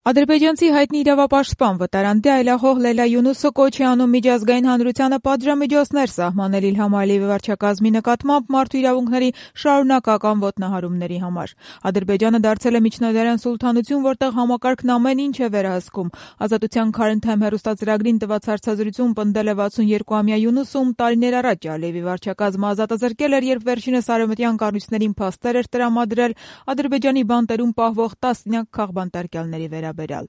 Ադրբեջանցի հայտնի իրավապաշտպան վտարանդի այլախոհ Լեյլա Յունուսը կոչ է անում միջազգային հանրությանը պատժամիջոցներ սահմանել Իլհամ Ալիևի վարչակազմի նկատմամբ մարդու իրավունքների շարունակական ոտնահարումների համար։ Ադրբեջանը դարձել է միջնադարյան սուլթանություն, որտեղ համակարգն ամեն ինչ է վերահսկում։ Ազատության Current Time հեռուստածրագրին տված հարցազրույցում պնդել է 62-ամյա Յունուսը, ում տարիներ առաջ Ալիևի վարչակազմը ազատազրկել էր, երբ վերջինս արևմտյան կառույցներին փաստեր էր տրամադրել Ադրբեջանի բանտերում պահվող տասնյակ քաղբանտարկյալների վերաբերյալ։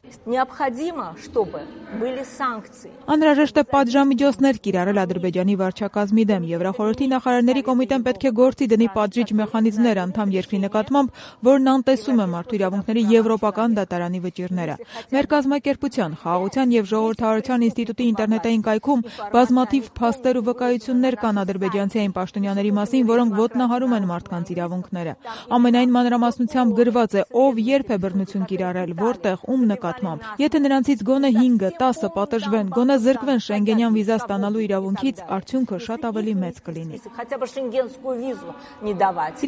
Անհրաժեշտ է պատժամիջոցներ կիրառել Ադրբեջանի վարչակազմի դեմ։ Եվրախորհրդի նախարարների կոմիտեն պետք է գործի դնի պատժիչ մեխանիզմներ անդամ երկրի նկատմամբ, որն անտեսում է մարդու իրավունքների եվրոպական դատարանի վճիռները։ Մեր կազմակերպության, Խաղաղության եւ ժողովրդավարության ինստիտուտի ինտերնետային կայքում բազմաթիվ փաստեր ու վկայություններ կան ադրբեջանցի պաշտոնյաների մասին, որոնք ոտնահարում են մարդկանց իրավունքները։ Ամենայն մանրամասնությամբ գրված է, ով երբ է բռնություն կիրառել, որտեղ, ում նկատմամբ։ Եթե նրանցից գոնե 5-ը, 10-ը պատժվեն, գոնե զրկվեն շենգենյան վիզա ստանալու իրավունքից, արդյունքը շատ ավելի մեծ կլինի։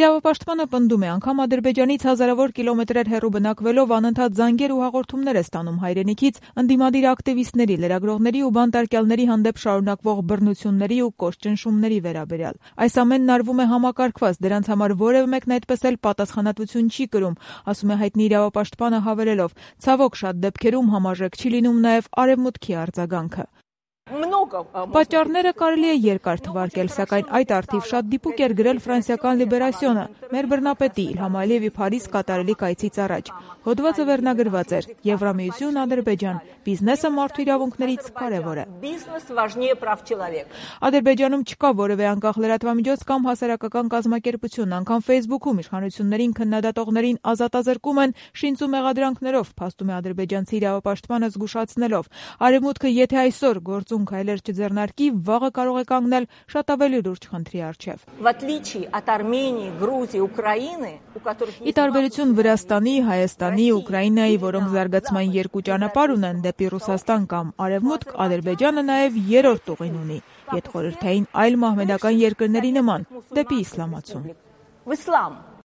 Իրավապաշտպանը պնդում է, անգամ Ադրբեջանից հազարավոր կիլոմետրեր հեռու բնակվելով անընդհատ զանգեր ու հաղորդումներ է ստանում հայրենիքից ընդդիմադիր ակտիվիստների, լրագրողների ու բանտարկյալների հանդեպ շարունակվող բռնությունների ու կոշտ-ճնշումների վերաբերյալ։ Այս ամենն արվում է համակարգված, դրանց համար որևէ մեկն այդպես էլ պատասխանատվություն չի կրում, ասում է հայտնի իրավապաշտպանը հավելելով. ցավոք շատ դեպքերում համարժեք չի լինում նաև արևմուտքի արձագանքը։ Պատճառները կարելի է երկար թվարկել, սակայն այդ առթիվ շատ դիպուկ էր գրել ֆրանսիական Լիբերասիոնը, մեր բռնապետի Իլհամ Ալիևի Փարիզ կատարելի կայցից առաջ։ Հոդվածը վերնագրված էր. Եվրամիություն, Ադրբեջան, բիզնեսը մարդու իրավունքներից կարևոր է։ Ադրբեջանում չկա որևէ անկախ լրատվամիջոց կամ հասարակական կազմակերպություն, անգամ Facebook-ում իշխանություններին քննադատողներին ազատազրկում են շինծ ու մեղադրանքներով, փաստում է ադրբեջանցի իրավապաշտպանը զգուշացնելով. Արևմուտքը եթե այսօր գործուն քայլեր չձեռնարկի, վաղը կարող է կանգնել շատ ավելի լուրջ խնդրի առջև։ Ի տարբերություն Վրաստանի, Հայաստանի, Ուկրաինայի, որոնք զարգացման երկու ճանապարհ ունեն դեպի Ռուսաստան կամ Արևմուտք, Ադրբեջանը նաև երրորդ ուղին ունի, յետխորհրդային այլ մահմեդական երկրների նման, դեպի իսլամացում։